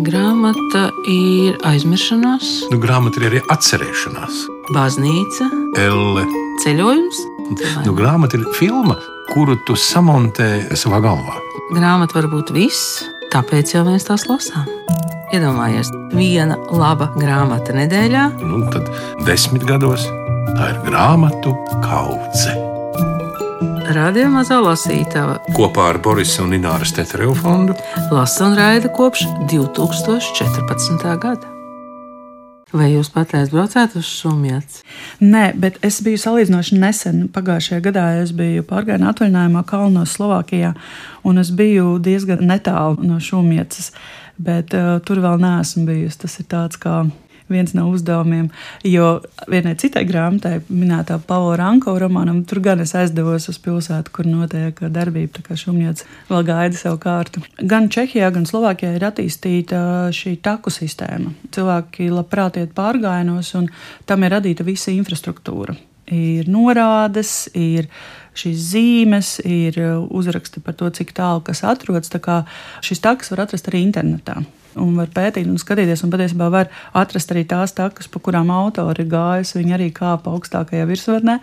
Grāmata ir aizmiršanās, Grāmata ir arī atcerēšanās. baznīca, Elle. ceļojums. Grāmata ir filma, kuru tu samontē savā galvā. Grāmata var būt viss, tāpēc jau mēs tās lasām. Iedomājies, viena laba grāmata nedēļā. Tad 10 gados tā ir grāmatu kaudze. Radio Mazā lasītava Kopā ar Borisa un Ināras Tetereva fondu lasa un raida kopš 2014. gada. Vai jūs patreiz braucāt uz Šumjats? Nē, bet es biju salīdzinoši nesen. Pagājušajā gadā es biju pārgājienā atvaļinājumā Kalnos, Slovākijā, un es biju diezgan netālu no Šumjats, bet tur vēl neesmu bijusi. Tas ir tāds kā viens no uzdevumiem, jo vienai citai grāmatai, minētā Pavla Ranko romānam, tur gan es aizdevos uz pilsētu, kur notiek darbība, tā kā Šumjats vēl gaida savu kārtu. Gan Čehijā, gan Slovākijā ir attīstīta šī taku sistēma. Cilvēki labprāt iet pārgājienos, un tam ir radīta visa infrastruktūra. Ir norādes, ir šīs zīmes, ir uzraksti par to, cik tālu kas atrodas. Tā kā šis takas var atrast arī internetā. Un var pētīt un skatīties, un patiesībā var atrast arī tās takas, pa kurām autori ir gājusi. Viņi arī kāpa augstākajā virsvarnē,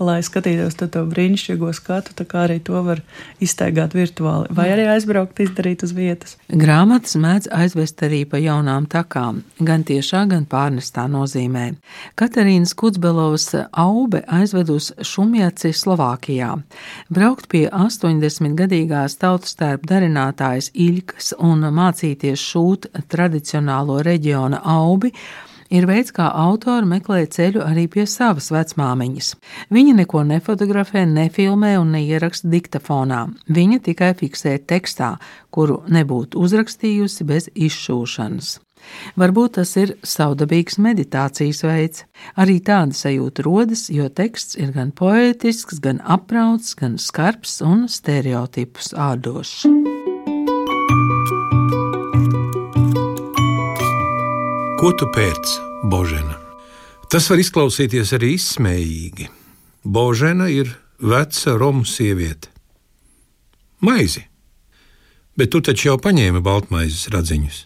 lai skatītos to brīnišķīgo skatu, tā kā arī to var izstaigāt virtuāli. Vai arī aizbraukt, izdarīt uz vietas. Grāmatas mēdz aizvest arī pa jaunām takām, gan tiešā, gan pārnestā nozīmē. Katerīnas Kudzbelovas Aube aizved uz Šumjaci Slovākijā. Braukt pie 80-gadīgās tautastērpu darinātājas Iļkas un mācīties šūt tradicionālo reģiona aubi ir veids, kā autori meklē ceļu arī pie savas vecmāmiņas. Viņa neko nefotografē, nefilmē un neieraksta diktafonā. Viņa tikai fiksē tekstā, kuru nebūtu uzrakstījusi bez izšūšanas. Varbūt tas ir savdabīgs meditācijas veids. Arī tāda sajūta rodas, jo teksts ir gan poētisks, gan aprauts, gan skarbs un stereotipus ādošs. Ko tu pēc, Božena? Tas var izklausīties arī izsmējīgi. Božena ir veca romu sieviete. Maizi. Bet tu taču jau paņēmi baltmaizes radziņus.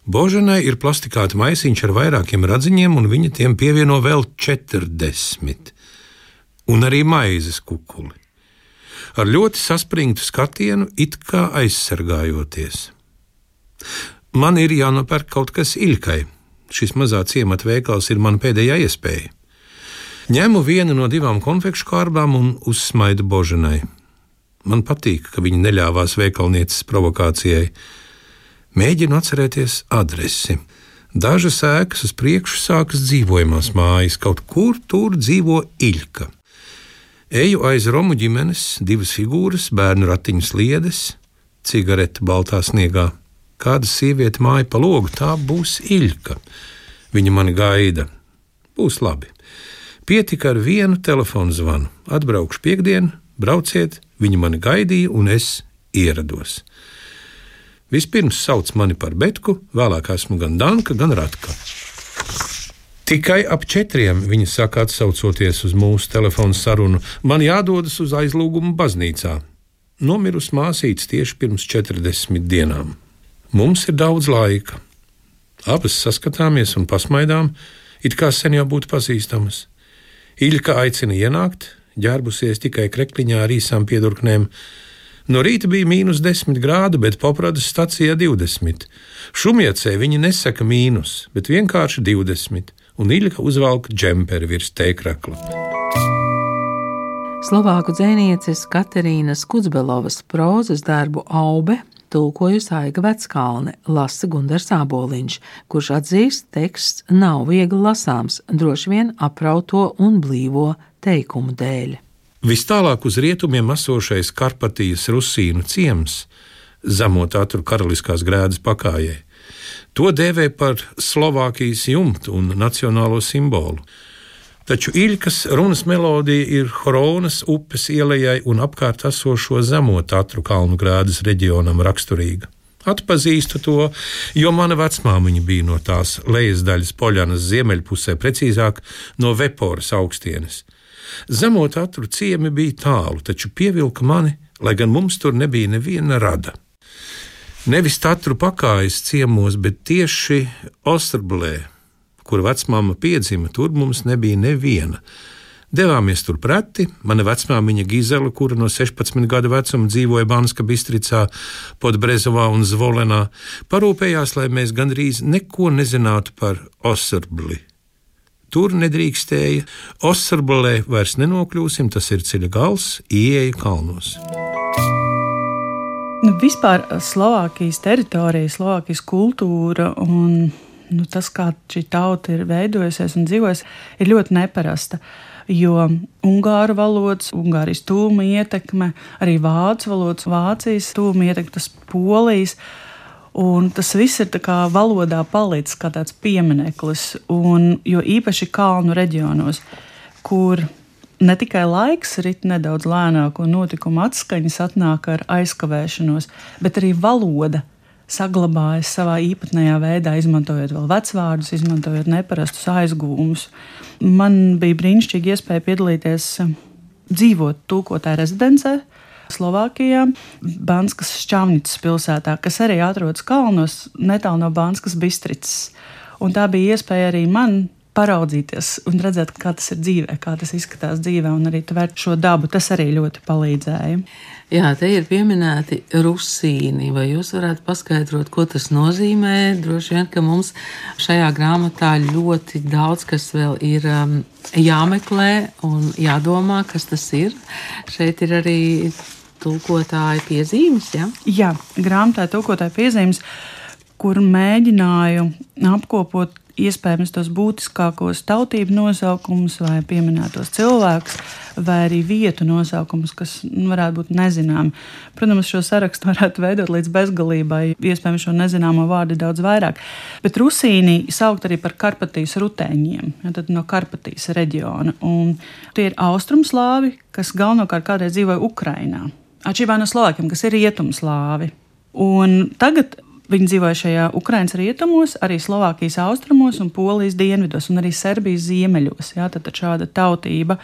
Boženai ir plastikāta maisiņš ar vairākiem radziņiem, un viņa tiem pievieno vēl 40. Un arī maizes kukuli. Ar ļoti saspringtu skatienu, it kā aizsargājoties. Man ir jānopērk kaut kas Iļkai. Šis mazā ciemata veikals ir mana pēdējā iespēja. Ņemu vienu no 2 konfekšu kārbām un uzsmaidu Boženai. Man patīk, ka viņa neļāvās veikalnieces provokācijai. Mēģinu atcerēties adresi. Dažas ēkas uz priekšu sākas dzīvojamās mājas, kaut kur tur dzīvo Iļka. Eju aiz romu ģimenes, 2 figūras, bērnu ratiņu sliedes, cigarete baltā sniegā. Kāda sieviete māja pa logu, tā būs Iļka. Viņa mani gaida. Būs labi. Pietika ar vienu telefonu zvanu. Atbraukšu piekdienu, brauciet, viņa mani gaidīja un es ierados. Vispirms sauc mani par Betku, vēlāk esmu gan Danka, gan Ratka. Tikai ap 4 viņa saka, atsaucoties uz mūsu telefonu sarunu, man jādodas uz aizlūgumu baznīcā. Nomirusi māsītes tieši pirms 40 dienām. Mums ir daudz laika. Abas saskatāmies un pasmaidām, it kā sen jau būtu pazīstamas. Iļka aicina ienākt, ģērbusies tikai krekliņā ar īsām piedurknēm. No rīta bija -10 grādu, bet Popradas stacijā 20. Šumjacē viņi nesaka mīnus, bet vienkārši 20, un Iļka uzvalk džemperi virs tēkrakla. Slovāku dzejnieces Katerīnas Kudzbelovas prózas darbu Aube tulkojusi Aiga Veckalne, lasa Gundars Āboliņš, kurš atzīst, teksts nav viegli lasāms, droši vien aprauto un blīvo teikumu dēļ. Vistālāk uz rietumiem esošais Karpatijas Rusīnu ciems, Zemo Tatru karaliskās grēdas pakājē. To dēvē par Slovākijas jumtu un nacionālo simbolu. Taču Iļkas runas melodija ir Horonas upes ielejai un apkārt esošo Zemo Tatru kalnu grēdas reģionam raksturīga. Atpazīstu to, jo mana vecmāmiņa bija no tās lejas daļas Poļanas ziemeļpusē, precīzāk no Veporas augstienes. Zemo Tatru ciemi bija tālu, taču pievilka mani, lai gan mums tur nebija neviena rada. Nevis Tatru pakājas ciemos, bet tieši Osterblē, kur vecmāma piedzima, tur mums nebija neviena. Devāmies tur preti, mana vecmāmiņa Gizela, kura no 16 gadu vecuma dzīvoja Banska Bistricā, Podbrezovā un Zvolenā, parūpējās, lai mēs gandrīz neko nezinātu par Osterbli. Tur nedrīkstēja, Osterblē vairs nenokļūsim, tas ir ceļa gals, ieeja kalnos. Vispār Slovākijas teritorija, Slovākijas kultūra un tas, kā šī tauta ir veidojusies un dzīvojusi, ir ļoti neparasta. Jo ungāru valodas, Ungārijas tūma ietekme, arī vācu valodas, Vācijas tūma ietekme, tas Polijas. Un tas viss ir tā kā valodā palicis kā tāds piemineklis. Jo īpaši kalnu reģionos, kur ne tikai laiks rit nedaudz lēnāk un notikuma atskaņas atnāk ar aizkavēšanos, bet arī valoda saglabājas savā īpatnējā veidā, izmantojot vēl vecvārdus, izmantojot neparastus aizgūmus. Man bija brīnišķīgi iespēja piedalīties dzīvot tulkotāju rezidencē Slovākijā, Banskas Šķavnicas pilsētā, kas arī atrodas kalnos netālu no Banskas Bistricas. Un tā bija iespēja arī man paraudzīties un redzēt, kā tas ir dzīvē, kā tas izskatās dzīvē, un arī tvērt šo dabu. Tas arī ļoti palīdzēja. Jā, te ir pieminēti rusīni. Vai jūs varētu paskaidrot, ko tas nozīmē? Droši vien, ka mums šajā grāmatā ļoti daudz, kas vēl ir jāmeklē un jādomā, kas tas ir. Šeit ir arī tulkotāja piezīmes, ja? Jā, grāmatā tulkotāja piezīmes, kur mēģināju apkopot iespējams tos būtiskākos tautību nosaukumus vai pieminētos cilvēkus, vai arī vietu nosaukumus, kas varētu būt nezināmi. Protams, šo sarakstu varētu veidot līdz bezgalībai, iespējams šo nezināmo vārdu daudz vairāk. Bet rusīni saukt arī par Karpatijas rutēņiem, ja, tad no Karpatijas reģiona. Un tie ir austrumslāvi, kas galvenokārt kādreiz dzīvoja Ukrainā. Atšķirībā no slovākiem, kas ir rietumslāvi. Un tagad viņi dzīvoja šajā Ukrainas rietumos, arī Slovākijas austrumos un Polijas dienvidos un arī Serbijas ziemeļos. Jā, tad šāda tautība.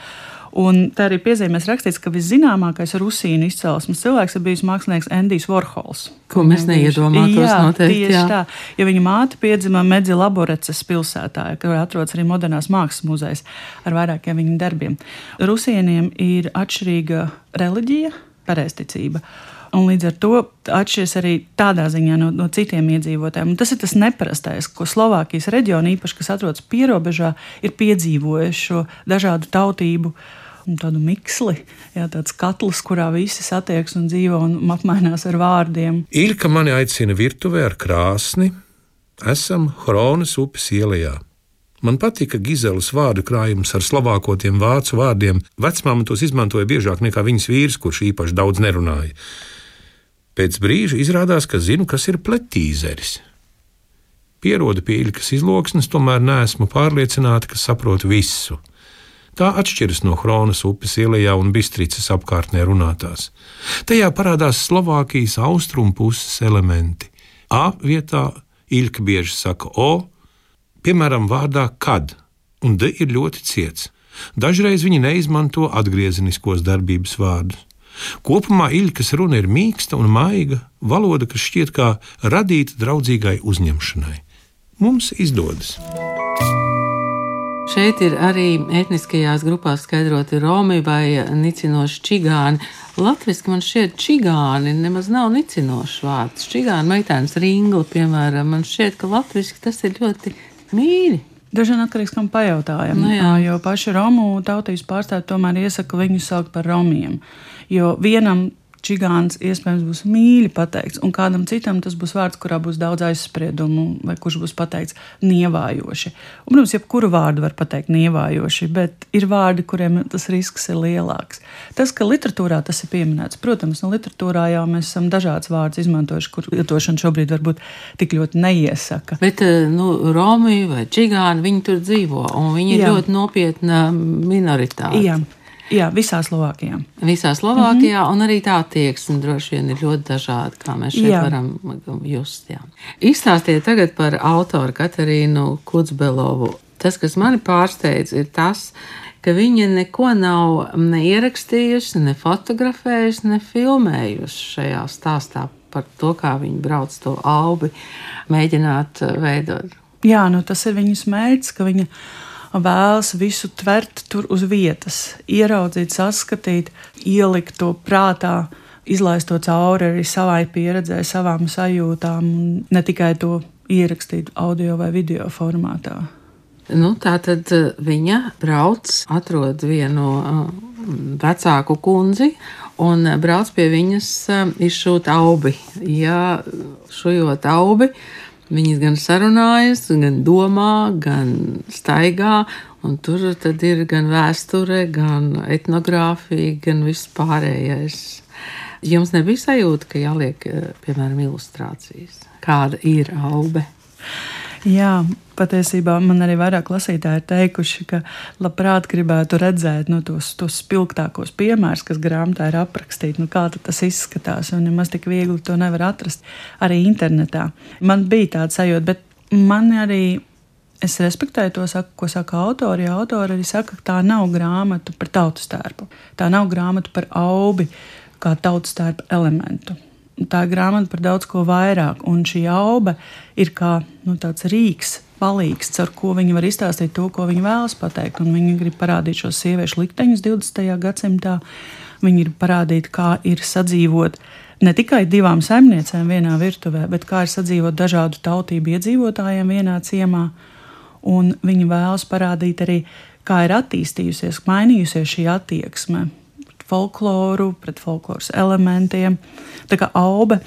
Un tā arī piezīmēs rakstīts, ka viszināmākais rusīnu izcelsmes cilvēks ir bijis mākslinieks Endijs Vorhols. Ko mēs neiedomātos noteikti. Tieši tā. Ja viņa māte piedzima Medzi Laboreces pilsētā, kur atrodas arī modernās mākslas muzejs ar vairākiem viņa darbiem. Rusīniem ir atšķirīga reliģija, pareizticība. Un līdz ar to atšķiras arī tādā ziņā no citiem iedzīvotājiem. Un tas ir tas neparastais, ko Slovākijas reģiona, īpaši, kas atrodas pierobežā, ir piedzīvojuši šo dažādu tautību un tādu miksli, jā, tāds katls, kurā visi satiekas un dzīvo un apmainās ar vārdiem. Ilka mani aicina virtuvē ar krāsni. Esam Hronas upes ielejā. Man patika Gizelas vārdu krājums ar slovākotiem vācu vārdiem. Vecmāma tos izmantoja biežāk nekā viņas vīrs, kurš īpaši daudz nerunāja. Pēc brīža izrādās, ka zinu, kas ir pletīzeris. Pierodu pie Ilkas izloksnes, tomēr neesmu pārliecināta, ka saprotu visu. Tā atšķiras no Hronas upes ielejā un Bistricas apkārtnē runātās. Tajā parādās Slovākijas austrumu puses elementi. A vietā Ilka bieži saka O, piemēram vārdā kad, un D ir ļoti ciets. Dažreiz viņi neizmanto atgriezeniskos darbības vārdus. Kopumā Ilkas runa ir mīksta un maiga, valoda, kas šķiet kā radīta draudzīgai uzņemšanai. Mums izdodas. Šeit ir arī etniskajās grupās skaidroti romi vai nicinoši čigāni. Latviski man šķiet čigāni nemaz nav nicinošs vārds. Čigāni meitenes ringla, piemēram, man šķiet, ka latviski tas ir ļoti mīļi. Daži vien atkarīgs, kam pajautājam, jo paši romu tautības pārstāvji tomēr iesaka viņus saukt par romiem. Jo vienam čigāns iespējams būs mīļi pateikts, un kādam citam tas būs vārds, kurā būs daudz aizspriedumu, vai kurš būs pateikts nievājoši. Un, protams, jebkuru vārdu var pateikt nievājoši, bet ir vārdi, kuriem tas risks ir lielāks. Tas, ka literatūrā tas ir pieminēts, protams, no literatūrā jau mēs esam dažādas vārdus izmantojuši, kur lietošana šobrīd varbūt tik ļoti neiesaka. Bet, romi vai čigāni, viņi tur dzīvo, un viņi ir ļoti nopietna minoritāte. Jā, visā Slovākijā. Visā Slovākijā, un arī tā attieksme droši vien ir ļoti dažāda, kā mēs šeit varam just. Jā. Izstāstiet tagad par autoru Katerīnu Kudzbelovu. Tas, kas mani pārsteidz, ir tas, ka viņa neko nav ne ierakstījusi, ne fotografējusi, ne filmējusi šajā stāstā. par to, kā viņi brauc to aubi, mēģināt veidot? Jā, tas ir viņas mērķis, ka viņa vēlas visu tvert tur uz vietas, ieraudzīt, saskatīt, ielikt to prātā, izlaist to cauri arī savai pieredzē, savām sajūtām, un ne tikai to ierakstīt audio vai video formātā. Tā tad viņa brauc, atrod vienu vecāku kundzi un brauc pie viņas izšūt aubi. Ja šujot aubi, viņas gan sarunājas, gan domā, gan staigā, un tur tad ir gan vēsture, gan etnogrāfija, gan viss pārējais. Jums nebija sajūta, ka jāliek, piemēram, ilustrācijas? Kāda ir aube? Jā, patiesībā man arī vairāk lasītāji ir teikuši, ka labprāt gribētu redzēt tos spilgtākos piemērus, kas grāmatā ir aprakstīti, kā tas izskatās, un nemaz tik viegli to nevar atrast arī internetā. Man bija tāda sajūta, bet man arī, es respektēju to, ko saka autori. Autori arī saka, ka tā nav grāmata par tautastērpu. Tā nav grāmata par aubi kā tautastērpa elementu. Tā ir grāmata par daudz ko vairāk, un šī aube ir kā tāds rīks, palīgs, ar ko viņi var izstāstīt to, ko viņi vēlas pateikt. Un viņi grib parādīt šos sieviešu likteņus 20. gadsimtā. Viņi grib parādīt, kā ir sadzīvot ne tikai divām saimniecēm vienā virtuvē, bet kā ir sadzīvot dažādu tautību iedzīvotājiem vienā ciemā. Un viņi vēlas parādīt arī, kā ir attīstījusies, mainījusies šī attieksme folkloru, pret folkloras elementiem. Tā kā aube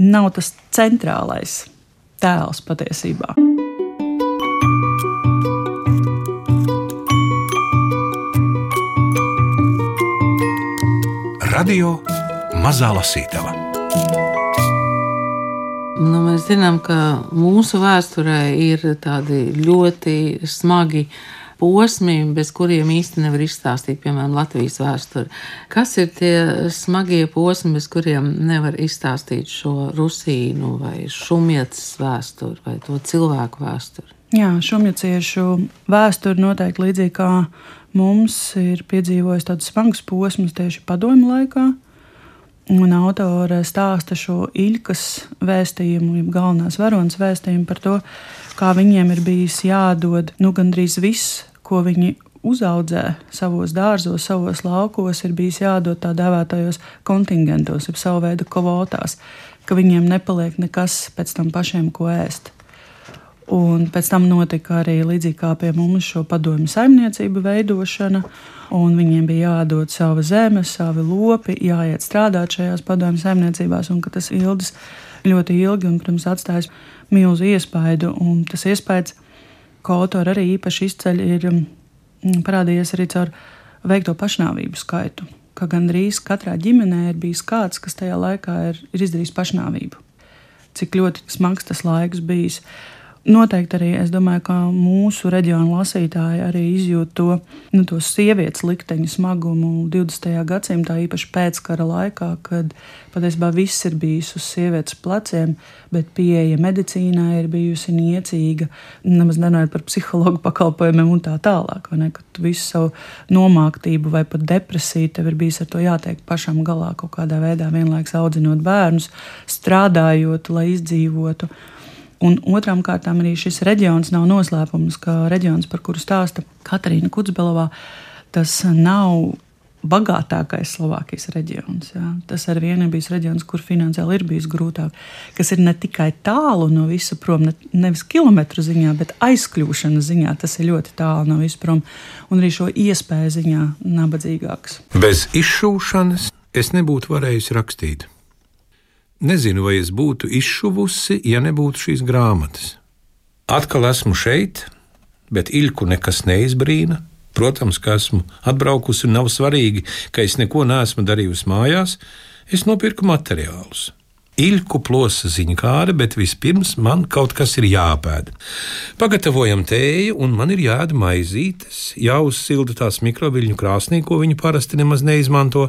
nav tas centrālais tēls patiesībā. Radio Mazā Lasītava. Mēs zinām, ka mūsu vēsturē ir tādi ļoti smagi posmi, bez kuriem īsti nevar izstāstīt, piemēram, Latvijas vēsturi. Kas ir tie smagie posmi, bez kuriem nevar izstāstīt šo rusīnu vai šumjacas vēsturi vai to cilvēku vēsturi? Jā, šumjaciešu vēsturi noteikti līdzīgi kā mums ir piedzīvojis tāds smags posms tieši padomju laikā. Un autore stāsta šo Iļkas vēstījumu, galvenās varonas vēstījumu par to, kā viņiem ir bijis jādod gandrīz viss, ko viņi uzaudzē savos dārzos, savos laukos, ir bijis jādod tā dēvētajos kontingentos, jeb savu veidu kvotās, ka viņiem nepaliek nekas pēc tam pašiem, ko ēst. Un pēc tam notika arī līdzīgi kā pie mums šo padomju saimniecību veidošana, un viņiem bija jādod sava zeme, savi lopi, jāiet strādāt šajās padomju saimniecībās, un ka tas ilgs ļoti ilgi un, protams, atstājis milzu iespaidu, un tas iespējas, ko autori arī īpaši izceļ, ir parādījies arī caur veikto pašnāvību skaitu, ka gandrīz katrā ģimenē ir bijis kāds, kas tajā laikā ir izdarījis pašnāvību. Cik ļoti smags tas laiks bijis. Noteikti arī, es domāju, ka mūsu reģiona lasītāji arī izjūt to sievietes likteņu smagumu 20. gadsimtā, īpaši pēckara laikā, kad patiesībā viss ir bijis uz sievietes pleciem, bet pieeja medicīnai ir bijusi niecīga, nemaz nerunājot par psihologu pakalpojumiem un tā tālāk, vai ne, ka tu visu savu nomāktību vai pat depresiju tev ir bijis ar to jātiek pašam galā kaut kādā veidā, vienlaiks audzinot bērnus, strādājot, lai izdzīvotu. Un otrām kārtām arī šis reģions nav noslēpums, ka reģions, par kuru stāsta Katarīna Kudzbelovā, tas nav bagātākais Slovākijas reģions. Jā. Tas ar vienu ir bijis reģions, kur finansiāli ir bijis grūtāk, kas ir ne tikai tālu no visa prom, nevis kilometru ziņā, bet aizkļūšanas ziņā, tas ir ļoti tālu no visa prom, un arī šo iespēju ziņā nabadzīgāks. Bez izšūšanas es nebūtu varējusi rakstīt. Nezinu, vai es būtu izšuvusi, ja nebūtu šīs grāmatas. Atkal esmu šeit, bet Iļku nekas neizbrīna. Protams, ka esmu atbraukusi un nav svarīgi, ka es neko neesmu darījusi mājās. Es nopirku materiālus. Iļku plosa ziņkāre, bet vispirms man kaut kas ir jāpēd. Pagatavojam tēju, un man ir jāēd maizītes, jāuzsilda tās mikroviļņu krāsnī, ko viņi parasti nemaz neizmanto.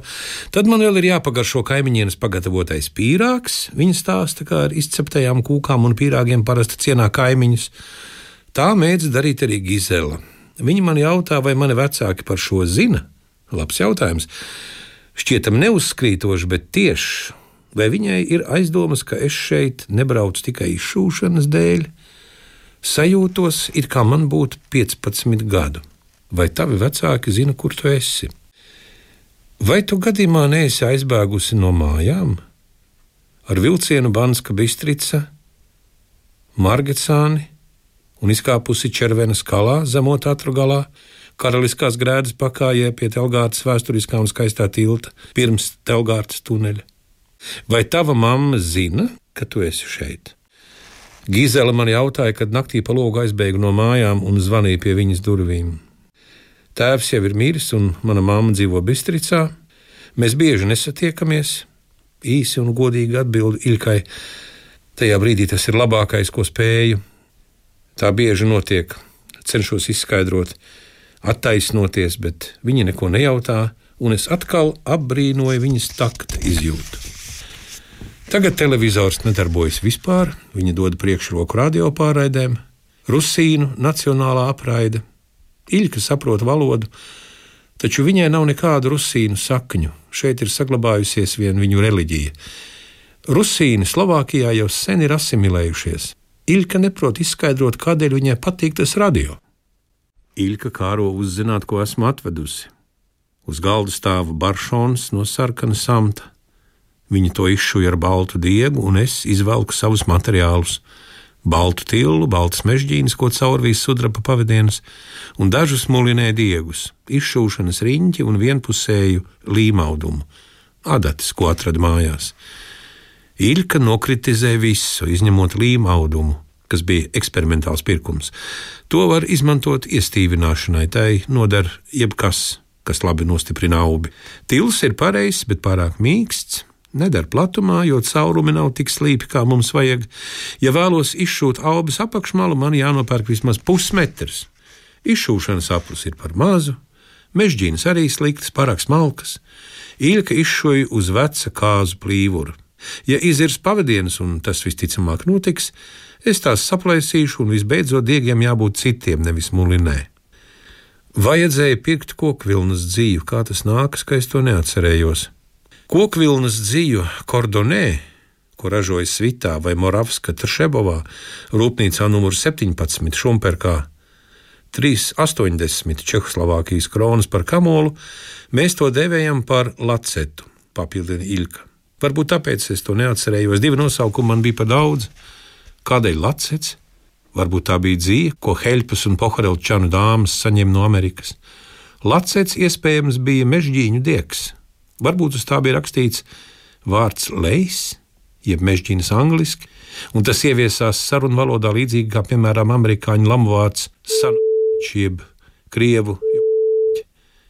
Tad man vēl ir jāpagaršo kaimiņienes pagatavotais pīrāgs. Viņa stāsta, kā ar izceptajām kūkām un pīrāgiem parasti cienā kaimiņus. Tā mēdz darīt arī Gizela. Viņa man jautā, vai mani vecāki par šo zina. Labs jautājums. Šķietam neuzskrītoši, bet tieši. Vai viņai ir aizdomas, ka es šeit nebraucu tikai izšūšanas dēļ? Sajūtos, it kā man būtu 15 gadu. Vai tavi vecāki zina, kur tu esi? Vai tu gadījumā neesi aizbēgusi no mājām? Ar vilcienu Banska Bistrica, Margecāni un izkāpusi Červenas kalā, zemo Tatru galā, Karaliskās grēdas pakājē pie Telgārtas vēsturiskā un skaistā tilta, pirms Telgārtas tuneļa. Vai tava mamma zina, ka tu esi šeit? Gizela man jautāja, kad naktī pa logu aizbēgu no mājām un zvanīja pie viņas durvīm. Tēvs jau ir miris un mana mamma dzīvo Bistricā. Mēs bieži nesatiekamies. Īsi un godīgi atbildu Ilkai. Tajā brīdī tas ir labākais, ko spēju. Tā bieži notiek. Cenšos izskaidrot, attaisnoties, bet viņa neko nejautā, un es atkal apbrīnoju viņas takta izjūtu. Tagad televizors nedarbojas vispār, viņa dod priekšroku radiopāraidēm, Rusīnu nacionālā apraide. Iļka saprot valodu, taču viņai nav nekādu rusīnu sakņu. Šeit ir saglabājusies vien viņu reliģija. Rusīni Slovākijā jau sen ir asimilējušies. Iļka neprot izskaidrot, kādēļ viņai patīk tas radio. Iļka kāro uzzināt, ko esmu atvedusi. Uz galda stāva baršons no sarkana samta. Viņa to izšuja ar baltu diegu, un es izvelku savus materiālus. Baltu tillu, baltas mežģīnas, ko caurvīs sudraba pavadienas, un dažus mulinē diegus, izšūšanas riņķi un vienpusēju līmaudumu, adatas, ko atrada mājās. Iļka nokritizē visu, izņemot līmaudumu, kas bija eksperimentāls pirkums. To var izmantot iestīvināšanai, tai noder jebkas, kas labi nostiprina aubi. Tils ir pareizs, bet pārāk mīksts. Nedara platumā, jo caurumi nav tik slīpi, kā mums vajag. Ja vēlos izšūt aubas apakšmalu, man jānopērk vismaz pusmetrs. Izšūšanas aplis ir par mazu, mežģīnas arī sliktas, pārāk smalkas. Iļka izšoja uz veca kāzu plīvura. Ja izirs pavadienas, un tas visticamāk notiks, es tās saplēsīšu, un visbeidzot diegiem jābūt citiem, nevis mulinē. Vajadzēja pirkt kokvilnas dzīvu, kā tas nākas, ka es to neatcerējos. Kokvilnas dzīvu Kordonē, ko ražoja Svitā vai Moravska Tršebovā, rūpnīcā numur 17 Šumperkā, 3,80 Čehoslovākijas kronas par kamolu, mēs to devējam par lacetu, papildina Iļka. Varbūt tāpēc es to neatcerējos, 2 nosaukumi man bija par daudz. Kādēļ lacets? Varbūt tā bija dzīve, ko Heļpas un Poharelčanu dāmas saņem no Amerikas. Lacets iespējams bija mežģīņu diegs. Varbūt uz tā bija rakstīts vārds lejs, jeb mežģīnas angliski, un tas ieviesās sarunvalodā līdzīgi kā, piemēram, amerikāņu lamuvārds sanuķi, jeb krievu,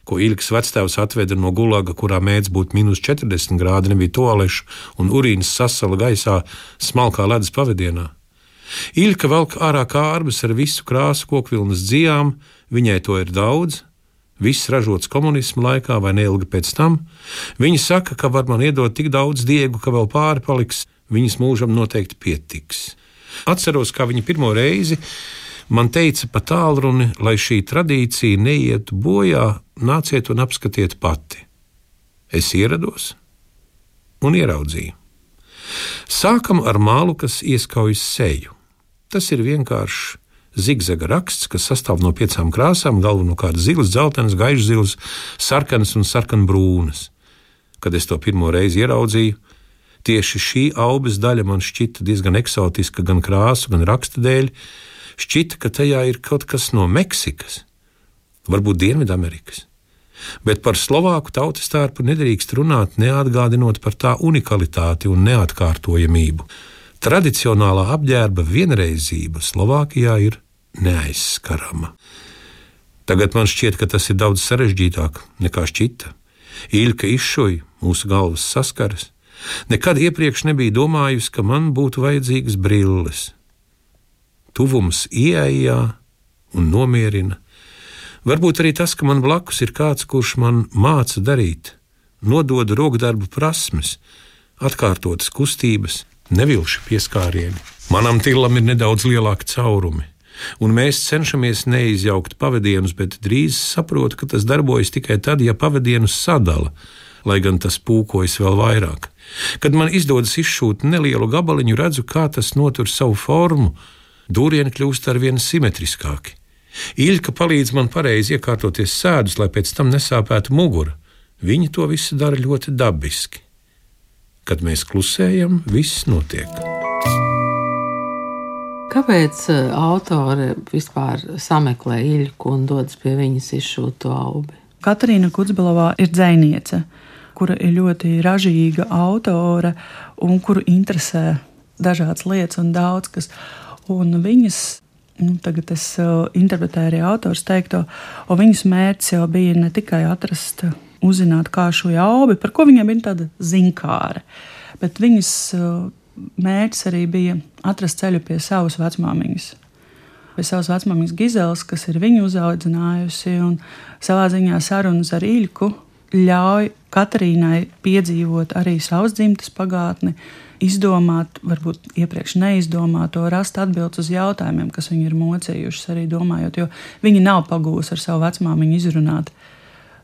ko Iļkas vectēvs atveda no gulaga, kurā mēdz būt -40 grādi, nebija toalešu un urīnas sasala gaisā smalkā ledus pavadienā. Iļka velk ārā kārbas ar visu krāsu kokvilnas dzijām, viņai to ir daudz, viss ražots komunismu laikā vai neilgi pēc tam. Viņa saka, ka var man iedot tik daudz diegu, ka vēl pāri paliks, viņas mūžam noteikti pietiks. Atceros, kā viņa pirmo reizi man teica pa tālruni, lai šī tradīcija neietu bojā, nāciet un apskatiet pati. Es ierados un ieraudzīju. Sākam ar mālu, kas ieskaujas seju. Tas ir vienkāršs zigzaga raksts, kas sastāv no 5 krāsām, galvenokārt zilas, dzeltenas, gaišzilas, sarkanas un sarkanbrūnas. Kad es to pirmo reizi ieraudzīju, tieši šī aubes daļa man šķita diezgan eksotiska gan krāsu, gan raksta dēļ. Šķita, ka tajā ir kaut kas no Meksikas, varbūt Dienvidamerikas. Bet par Slovāku tautas tērpu nedrīkst runāt, neatgādinot par tā unikalitāti un neatkārtojamību. Tradicionālā apģērba vienreizība Slovākijā ir neaizskarama. Tagad man šķiet, ka tas ir daudz sarežģītāk nekā šķita. Iļka izšuja, mūsu galvas saskaras. Nekad iepriekš nebija domājusi, ka man būtu vajadzīgas brilles. Tuvums ieejā un nomierina. Varbūt arī tas, ka man blakus ir kāds, kurš man māca darīt, nodod rokdarbu prasmes, atkārtotas kustības, nevilši pieskārieni. Manam tillam ir nedaudz lielāki caurumi, un mēs cenšamies neizjaukt pavadienus, bet drīz saprotu, ka tas darbojas tikai tad, ja pavadienus sadala, lai gan tas pūkojas vēl vairāk. Kad man izdodas izšūt nelielu gabaliņu, redzu, kā tas notur savu formu, dūrieni kļūst arvien simetriskāki. Iļka palīdz man pareizi iekārtoties sēdus, lai pēc tam nesāpētu mugura. Viņa to visu dara ļoti dabiski. Kad mēs klusējam, viss notiek. Kāpēc autore vispār sameklē Iļku un dodas pie viņas izšūto aubi? Katarīna Kudzbelovā ir dzejniece, kura ir ļoti ražīga autore un kuru interesē dažādas lietas un daudz kas. Un viņas, tagad es interpretēju arī autors teikto, un viņas mērķis jau bija ne tikai atrast, uzzināt, kā šo aubi, par ko viņai bija tāda zinkāre, bet viņas mērķis arī bija atrast ceļu pie savas vecmāmiņas. Pie savas vecmāmiņas Gizeles, kas ir viņu uzaudzinājusi, un savā ziņā sarunas ar Iļku ļauj Katarīnai piedzīvot arī savas dzimtes pagātni, izdomāt, varbūt iepriekš neizdomāto, rast atbildes uz jautājumiem, kas viņu ir mocījušas arī domājot, jo viņa nav pagūs ar savu vecmāmiņu izrunāt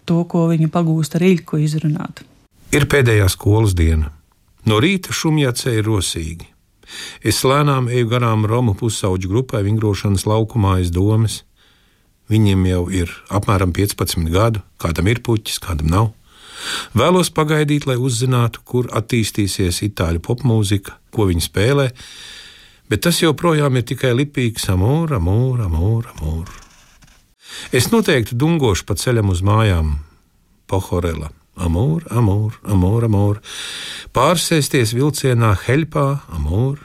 to, ko viņa pagūst ar Iļku izrunāt. Ir pēdējā skolas diena. No rīta Šumjacē ir rosīgi. Es lēnām eju garām Romu pusauģu grupai vingrošanas laukumā aiz domes. Viņiem jau ir apmēram 15 gadu, kādam ir puķis, kādam nav. Vēlos pagaidīt, lai uzzinātu, kur attīstīsies itāļu popmūzika, ko viņi spēlē, bet tas joprojām ir tikai lipīgs amor, amor, amor, amor. Es noteikti dungošu pa ceļam uz mājām. Pohorela, amor, amor, amor, amor. Pārsēsties vilcienā Heļpā, amor.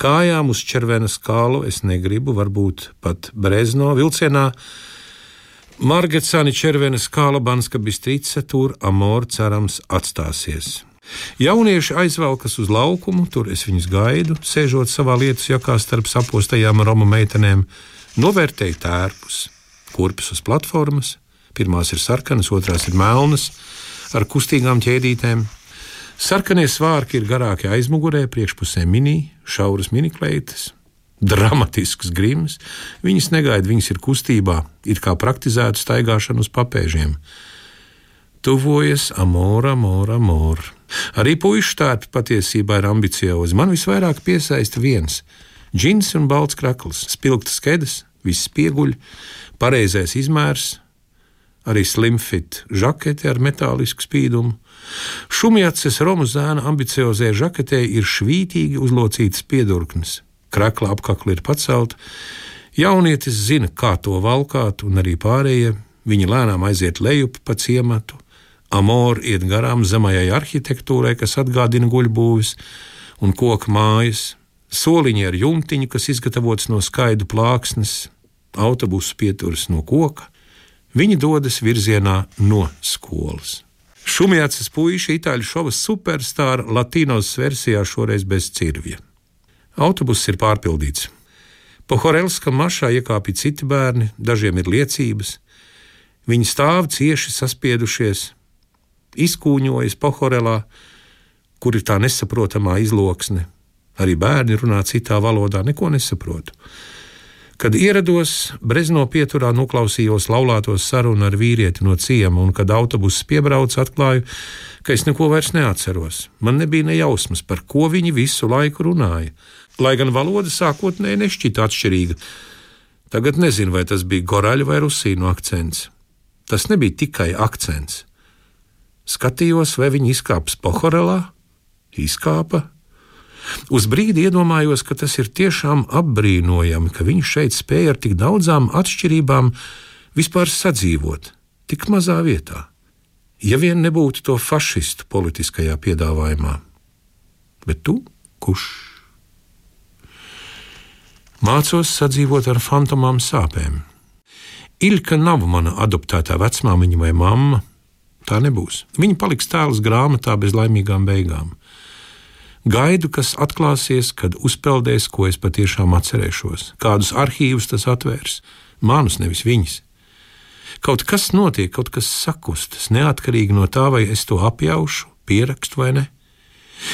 Kājām uz Červenas kalu es negribu, varbūt pat Brezno vilcienā. Margecani Červenas kala Banska Bistrica, tur amor cerams atstāsies. Jaunieši aizvelkas uz laukumu, tur es viņus gaidu, sēžot savā lietus jakā starp sapostajām Romu meitenēm, novērtēju tērpus, kurpes uz platformas, pirmās ir sarkanas, otrās ir melnas, ar kustīgām ķēdītēm. Sarkanie svārki ir garāki aizmugurē, priekšpusē mini, šauras minikleitas, dramatisks grims. Viņas negaida, viņas ir kustībā, it kā praktizētu staigāšanu uz papēžiem. Tuvojas amor, amor, amor. Arī puišu tērpi patiesībā ir ambiciozi. Man visvairāk piesaista viens – džins un balts krakls, spilgtas kedas, viss pieguļ, pareizais izmērs, arī slimfit žakete ar metālisku spīdumu. Šumjaces Romu zēna ambiciozē žaketē ir švītīgi uzlocītas piedurknes. Krakla apkakla ir pacelta. Jaunietis zina, kā to valkāt, un arī pārējie. Viņi lēnām aiziet lejup pa ciematu. Amor iet garām zemajai arhitektūrai, kas atgādina guļbūvis, un koka mājas. Soliņi ar jumtiņu, kas izgatavots no skaidu plāksnes. Autobusu pieturas no koka. Viņi dodas virzienā no skolas. Šumjaces puiši itāļu šova superstāra Latinos versijā šoreiz bez cirvja. Autobuss ir pārpildīts. Pohorelska mašā iekāpja citi bērni, dažiem ir liecības. Viņi stāv cieši saspiedušies, izkūņojas Pohorelā, kur ir tā nesaprotamā izloksne. Arī bērni runā citā valodā, neko nesaprotu. Kad ierados, Brezno pieturā noklausījos laulāto sarunu ar vīrieti no ciema, un kad autobuss piebrauc, atklāju, ka es neko vairs neatceros. Man nebija ne jausmas, par ko viņi visu laiku runāja, lai gan valoda sākotnēji nešķita atšķirīga. Tagad nezinu, vai tas bija goraļu vai rusīnu akcents. Tas nebija tikai akcents. Skatījos, vai viņi izkāps Pohorelā, izkāpa. Uz brīdi iedomājos, ka tas ir tiešām apbrīnojami, ka viņi šeit spēja ar tik daudzām atšķirībām vispār sadzīvot, tik mazā vietā. Ja vien nebūtu to fašistu politiskajā piedāvājumā. Bet tu, kurš? Mācos sadzīvot ar fantomām sāpēm. Iļka nav mana adoptētā vecmāmiņa vai mamma. Tā nebūs. Viņa paliks tēls grāmatā bez laimīgām beigām. Gaidu, kas atklāsies, kad uzpeldēs, ko es patiešām atcerēšos. Kādus arhīvus tas atvērs. Manus, nevis viņas. Kaut kas notiek, kaut kas sakustas, neatkarīgi no tā, vai es to apjaušu, pierakstu vai ne.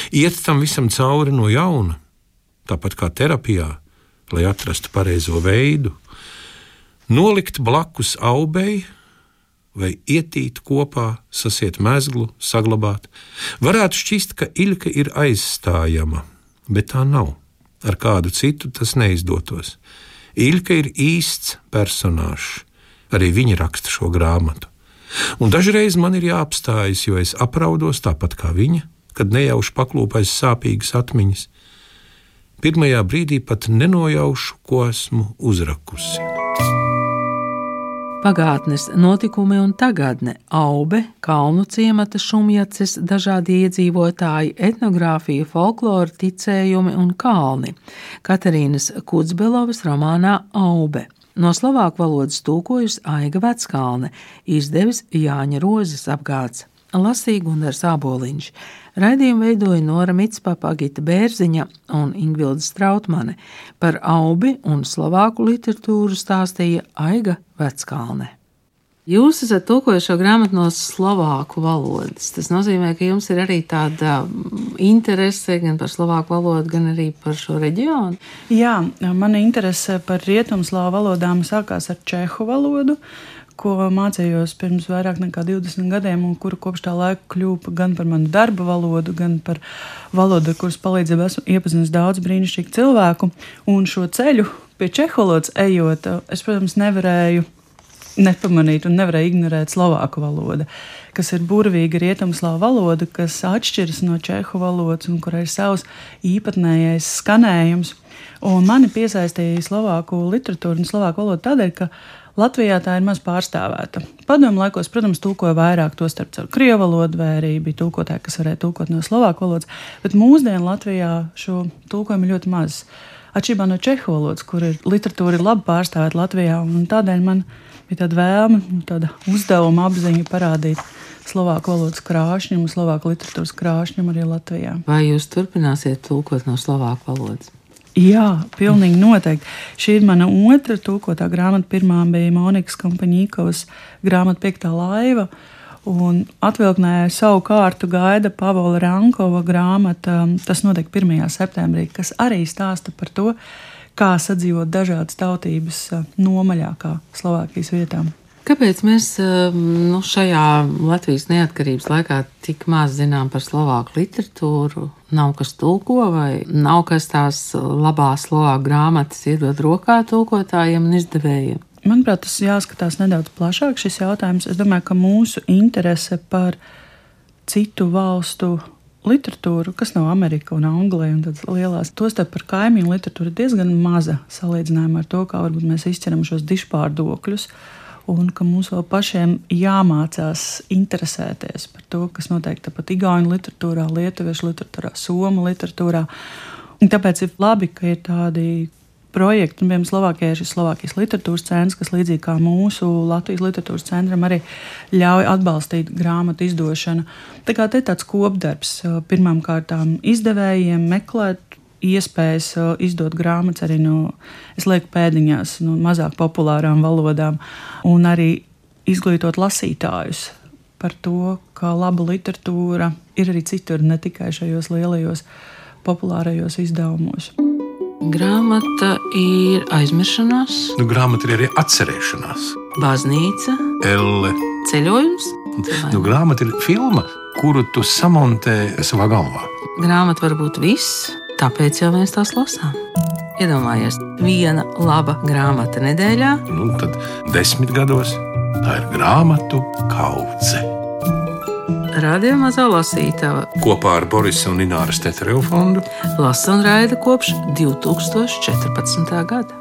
Iet tam visam cauri no jauna, tāpat kā terapijā, lai atrastu pareizo veidu. Nolikt blakus aubei, vai ietīt kopā, sasiet mezglu, saglabāt. Varētu šķist, ka Iļka ir aizstājama, bet tā nav. Ar kādu citu tas neizdotos. Iļka ir īsts personāžs. Arī viņa raksta šo grāmatu. Un dažreiz man ir jāapstājas, jo es apraudos tāpat kā viņa, kad nejauši paklūpais sāpīgas atmiņas. Pirmajā brīdī pat nenojaušu, ko esmu uzrakusi. Pagātnes notikumi un tagadne, Aube, kalnu ciemata šumjaces, dažādi iedzīvotāji, etnogrāfija, folklora, ticējumi un kalni. Katerīnas Kudzbelovas romānā Aube. No slovāku valodas tūkojusi Aiga Veckalne, izdevis Jāņa Rozes apgāds. Lasīja Gundars Āboliņš. Raidījumu veidoja Nora Mitspapa, Agita Bērziņa un Ingvilda Strautmane. Par Aubi un slovāku literatūru stāstīja Aiga Veckalne. Jūs esat tulkojuši šo grāmatu no slovāku valodas. Tas nozīmē, ka jums ir arī tāda interese gan par slovāku valodu, gan arī par šo reģionu? Jā, mana interese par rietumslāvu valodām sākās ar čehu valodu, ko mācījos pirms vairāk nekā 20 gadiem, un kuru kopš tā laika kļuva gan par manu darba valodu, gan par valodu, ar kuras palīdzību esmu iepazinis daudz brīnišķīgu cilvēku. Un šo ceļu pie čehu valodas ejot, es, protams, nevarēju nepamanīt un nevarēju ignorēt slovāku valodu, kas ir burvīga rietumslāvu valoda, kas atšķiras no čehu valodas un kurai ir savs īpatnējais skanējums. Un mani piesaistīja slovāku literatūru un slovāku valodu tādēļ, ka Latvijā tā ir maz pārstāvēta. Padomu laikos, protams, tulkoja vairāk, tostarp caur krievu valodu, vai arī bija tulkotāji, kas varēja tulkot no slovāku valodas, bet mūsdienu Latvijā šo tulkojumu ir ļoti maz. Atšķirībā no čehu valodas, kur literatūra ir labi pārstāvēta Latvijā, un tādēļ man bija tāda vēlme, tāda uzdevuma apziņa parādīt slovāku valodas krāšņumu, slovāku literatūras krāšņumu arī Latvijā. Vai jūs turpināsiet tulkot no slovāku valodas? Jā, pilnīgi noteikti. Šī ir mana otra tulkotā grāmata. Pirmā bija Monikas Kompaņīkovas grāmata 5. laiva, un atvilknē savu kārtu gaida Pavola Rankova grāmata. Tas notiek 1. septembrī, kas arī stāsta par to, kā sadzīvot dažādas tautības nomaļākā Slovākijas vietām. Kāpēc mēs šajā Latvijas neatkarības laikā tik maz zinām par slovāku literatūru? Nav kas tulko vai nav kas tās labās slovāku grāmatas iedod rokā tulkotājiem un izdevējiem? Manuprāt, tas jāskatās nedaudz plašāk šis jautājums. Es domāju, ka mūsu interese par citu valstu literatūru, kas nav Amerika un Anglija un tādas lielās, tostarp par kaimiņu literatūru, ir diezgan maza salīdzinājumā ar to, kā varbūt mēs izķeram šos dišpārdokļus. Un ka mums vēl pašiem jāmācās interesēties par to, kas notiek tāpat igauņu literatūrā, lietuviešu literatūrā, somu literatūrā. Un tāpēc ir labi, ka ir tādi projekti, un piemēram Slovākijā ir šis Slovākijas literatūras centrs, kas līdzīgi kā mūsu Latvijas literatūras centram arī ļauj atbalstīt grāmatu izdošanu. Tā kā te tāds kopdarbs pirmām kārtām izdevējiem meklēt iespējas izdot grāmatas arī no, es lieku pēdiņās, no mazāk populārām valodām, un arī izglītot lasītājus par to, ka laba literatūra ir arī citur, ne tikai šajos lielajos populārajos izdevumos. Grāmata ir aizmiršanās. Grāmata ir arī atcerēšanās. Baznīca. Elle. Ceļojums. Grāmata ir filma, kuru tu samontē savā galvā. Grāmata var būt viss. Tāpēc jau mēs tās lasām. Iedomājies, viena laba grāmata nedēļā. Tad 10 gados tā ir grāmatu kaudze. Radio Mazā lasītava kopā ar Borisa un Ināras Teterevu fondu lasa un raida kopš 2014. gada.